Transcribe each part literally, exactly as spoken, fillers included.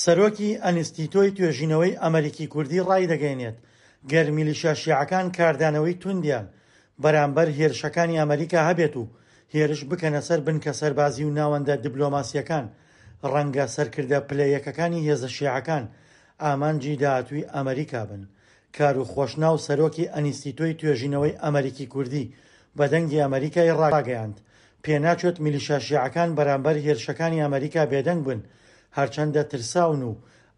سەرۆکی ئەنستیتۆی توێژینەوەی ئەمریکی کوردی ڕایدەگەیەنێت، گەر میلیشیا شیعەکان کاردانەوەی توندیان بەرامبەر هێرشەکانی ئەمریکا هەبێت و هێرش بکەنە سەر بنکە سەربازی و ناوەندە دیبلۆماسیەکان، ڕەنگە سەرکردە پلە یەکەکانی هێزە شیعەکان ئامانجی داهاتووی ئەمریکا بن. کارو خۆشناو سەرۆکی ئەنستیتۆی توێژینەوەی ئەمریکی کوردی بە دەنگی ئەمریکای ڕاگەیاند، پێناچێت میلیشیا شیعەکان بەرامبەر هێرشەکانی ئەمریکا بێدەنگ بن، هەرچەندە ترساون و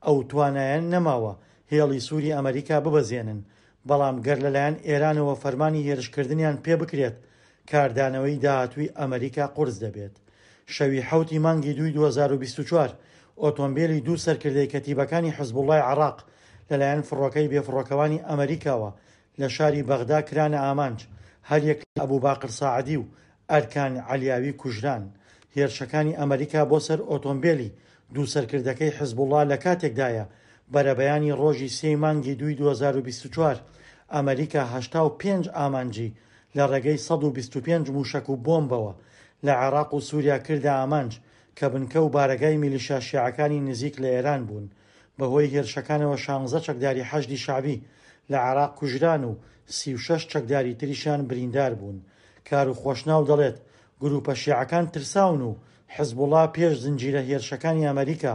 ئەو توانایان نەماوە هێڵی سووری ئەمریکا ببەزێنن، بەڵام گەر لەلایەن ئێرانەوە فەرمانی هێرشکردنیان پێ بکرێت، کاردانەوەی داهاتووی ئەمریکا قورس دەبێت. شەوی حەوتی مانگی دووی دوو هەزار و بیست و چوار ئۆتۆمبیلی دوو سەرکردەی کەتیبەکانی حزبوڵای عێراق لەلایەن فڕۆکەی بێفڕۆکەوانی ئەمریکاوە لە شاری بەغدا کرانە ئامانج، هەریەک لە ئەبوو باقر ساعدی و ئەرکان عەلیاوی کوژران. هێرشەکانی ئەمریکا بۆ سەر ئۆتۆمبیلی دوو سەرکردەکەی حزبوڵا لە کاتێکدایە بەرەبەیانی ڕۆژی سێی مانگی دووی دوو هەزار و بیست و چوار ئەمریکا هەشتا و پێنج ئامانجی لە ڕێگەی سەد و بیست و پێنج موشەک و بۆمبەوە لە عێراق و سووریا کردە ئامانج کە بنکە و بارەگای میلیشیا شیعەکانی نزیک لە ئێران بوون. بەهۆی هێرشەکانەوە شانزە چەکداری حەشدی شەعبی لە عێراق کوژران و سی و شەش چەکداری تریشیان بریندار بوون. کارو خۆشناو دەڵێت گروپە شیعەکان ترساون و حزبوڵا پێش زنجیرە هێرشەکانی ئەمریکا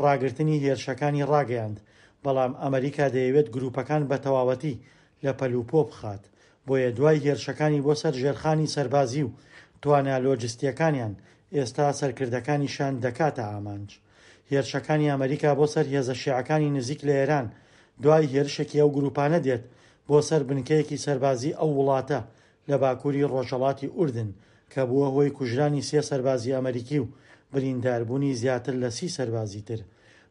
ڕاگرتنی هێرشەکانی ڕاگەیاند، بەڵام ئەمریکا دەیەوێت گروپەکان بە تەواوەتی لە پەلوپۆ بخات. بۆیە دوای هێرشەکانی بۆ سەر ژێرخانی سەربازی و توانا لۆجستیەکانیان ئێستا سەرکردەکانیشان دەکاتە ئامانج. هێرشەکانی ئەمریکا بۆ سەر هێزە شیعەکانی نزیک لە ئێران دوای هێرشێکی ئەو گروپانە دێت بۆ سەر بنکەیەکی سەربازی ئەو وڵاتە لە باکووری ڕۆژهەڵاتی ئوردن کە بووە هۆی کوژرانی سێ سەربازی ئەمریکی و برینداربوونی زیاتر لە سی سەربازی تر.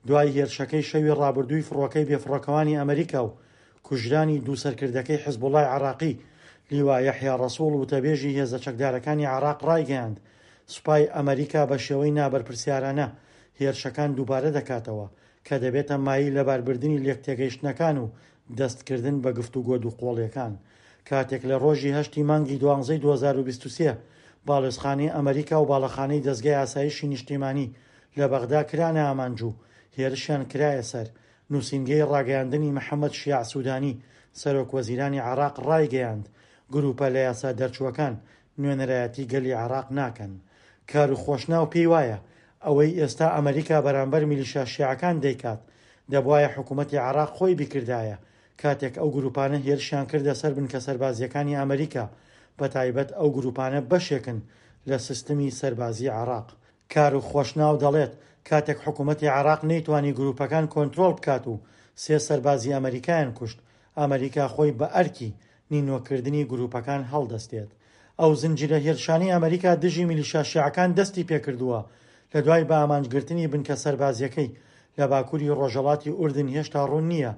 دوای هێرشەکەی شەوی ڕابردووی فڕۆکەی بێفڕۆکەوانی ئەمریکا و کوژرانی دوو سەرکردەکەی حزبوڵای عێراقی، لیوا یەحیا ڕەسوڵ وتەبێژی هێزە چەکدارەکانی عێراق ڕایگەیاند سوپای ئەمریکا بە شێوەی نابەرپرسیارانە هێرشەکان دووبارە دەکاتەوە کە دەبێتە مایەی لەباربردنی لێکتێگەیشتنەکان و دەستکردن بە گفتوگۆ دووقۆڵیەکان. کاتێک لە ڕۆژی هەشتی مانگی دوانزەی دوو هەزار و بیست و سێ باڵێزخانەی ئەمریکا و باڵەخانەی دەزگای ئاسایشی نیشتیمانی لە بەغدا کرانە ئامانج و هێرشیان کرایە سەر، نووسینگەی ڕاگەیاندنی محەممەد شیاع سوودانی سەرۆک وەزیرانی عێراق ڕایگەیاند گروپە لە یاسا دەرچووەکان نوێنەرایەتی گەلی عێراق ناکەن. کارو خۆشناو پێی وایە ئەوەی ئێستا ئەمریکا بەرامبەر میلیشیا شیعەکان دەیکات دەبوایە حکوومەتی عێراق خۆی بیکردایە کاتێک ئەو گروپانە هێرشیان کردە سەر بنکە سەربازیەکانی ئەمریکا، بەتایبەت ئەو گروپانە بەشێکن لە سیستمی سەربازی عێراق. کارو خۆشناو دەڵێت کاتێک حکوومەتی عێراق نەیتوانی گروپەکان کۆنترۆڵ بکات و سێ سەربازی ئەمریکایان کوشت، ئەمریکا خۆی بە ئەرکی نینۆکردنی گروپەکان هەڵدەستێت. ئەو زنجیرە هێرشانەی ئەمریکا دژی میلیشیا شیعەکان دەستی پێکردووە لە دوای بە ئامانجگرتنی بنکە سەربازیەکەی لە باکووری ڕۆژهەڵاتی ئوردن هێشتا ڕوون نییە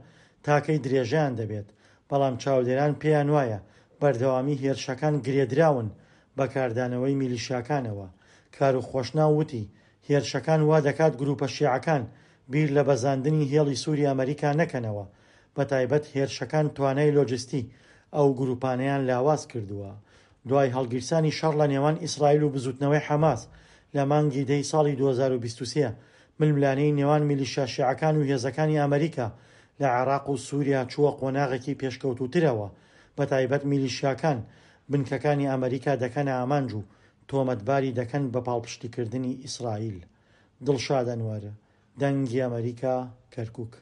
تاکەی درێژەیان دەبێت، بەڵام چاودێران پێیان وایە بەردەوامی هێرشەکان گرێدراون بە کاردانەوەی میلیشیاکانەوە. کارو خۆشناو وتی هێرشەکان وا دەکات گروپە شیعەکان بیر لە بەزاندنی هێڵی سووری ئەمریکا نەکەنەوە، بەتایبەت هێرشەکان توانای لۆجستی ئەو گروپانەیان لاواز کردووە. دوای هەڵگیرسانی شەڕ لە نێوان ئیسرائیل و بزوتنەوەی حەماس لە مانگی دەی ساڵی دوو هەزار و بیست و سێ، ململانێی نێوان میلیشیا شیعەکان و هێزەکانی ئەمریکا لە عێراق و سووریا چووە قۆناغێکی پێشکەوتووترەوە، بەتایبەت میلیشیاکان بنکەکانی ئەمریکا دەکەنە ئامانج و تۆمەتباری دەکەن بە پاڵپشتیکردنی ئیسرائیل. دڵشاد ئەنوەر، دەنگی ئەمریکا، کەرکووک.